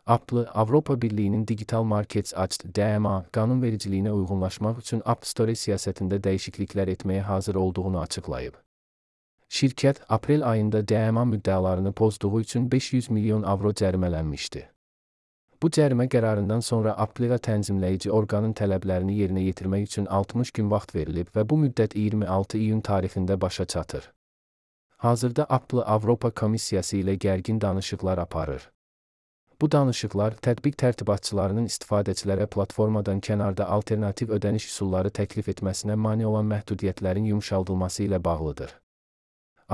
Apple, Avropa Birliği'nin Digital Markets Act (DMA) qanunvericiliyinə uyğunlaşmaq üçün App Store siyasətində dəyişikliklər etməyə hazır olduğunu açıqlayıb. Şirkət, aprel ayında DMA müddəalarını pozduğu üçün 500 milyon avro cərimələnmişdi. Bu cərimə qərarından sonra Apple-a tənzimləyici orqanın tələblərini yerinə yetirmək üçün 60 gün vaxt verilib və bu müddət 26 iyun tarixində başa çatır. Hazırda Apple Avropa Komissiyası ilə gərgin danışıqlar aparır. Bu danışıqlar tətbiq tərtibatçılarının istifadəçilərə platformadan kənarda alternativ ödəniş üsulları təklif etməsinə mane olan məhdudiyyətlərin yumşaldılması ilə bağlıdır.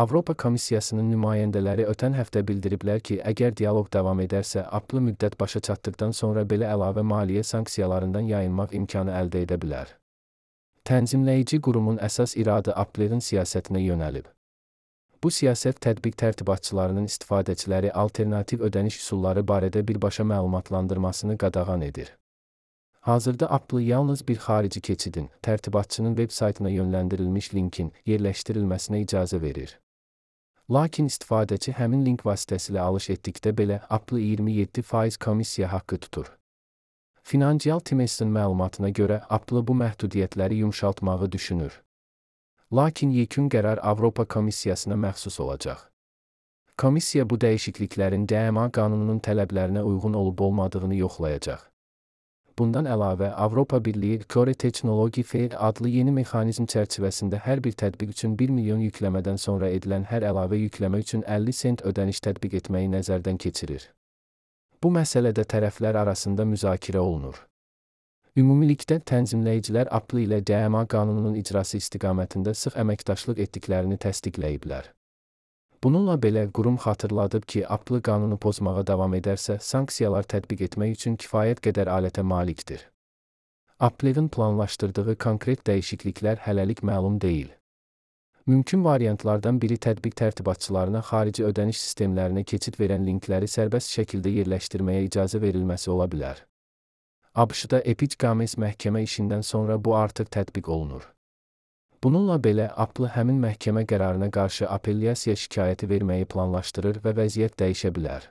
Avropa Komissiyasının nümayəndələri ötən həftə bildiriblər ki, əgər dialoq davam edərsə, Apple müddət başa çatdıqdan sonra belə əlavə maliyyə sanksiyalarından yayınmaq imkanı əldə edə bilər. Tənzimləyici qurumun əsas iradı Apple-in siyasətinə yönəlib. Bu siyasət tətbiq tərtibatçılarının istifadəçiləri alternativ ödəniş üsulları barədə birbaşa məlumatlandırmasını qadağan edir. Hazırda Apple yalnız bir xarici keçidin, tərtibatçının veb saytına yönləndirilmiş linkin yerləşdirilməsinə icazə verir. Lakin istifadəçi həmin link vasitəsilə alış etdikdə belə Apple 27% komissiya haqqı tutur. Financial Times'in məlumatına görə Apple bu məhdudiyyətləri yumşaltmağı düşünür. Lakin yekun qərar Avropa Komissiyasına məxsus olacaq. Komissiya bu dəyişikliklərin DMA qanununun tələblərinə uyğun olub-olmadığını yoxlayacaq. Bundan əlavə, Avropa Birliyi Core Technology Fair adlı yeni mexanizm çərçivəsində hər bir tətbiq üçün 1 milyon yükləmədən sonra edilən hər əlavə yükləmə üçün 50 sent ödəniş tətbiq etməyi nəzərdən keçirir. Bu məsələdə tərəflər arasında müzakirə olunur. Ümumilikdə tənzimləyicilər Apple ilə DMA qanununun icrası istiqamətində sıx əməkdaşlıq etdiklərini təsdiqləyiblər. Bununla belə qurum xatırladıb ki, Apple qanunu pozmağa davam edərsə, sanksiyalar tətbiq etmək üçün kifayət qədər alətə malikdir. Apple-in planlaşdırdığı konkret dəyişikliklər hələlik məlum deyil. Mümkün variantlardan biri tətbiq tərtibatçılarına xarici ödəniş sistemlərinə keçid verən linkləri sərbəst şəkildə yerləşdirməyə icazə verilməsi ola bilər. ABŞ-da Epic Games məhkəmə işindən sonra bu artıq tətbiq olunur. Bununla belə, Apple həmin məhkəmə qərarına qarşı apellyasiya şikayəti verməyi planlaşdırır və vəziyyət dəyişə bilər.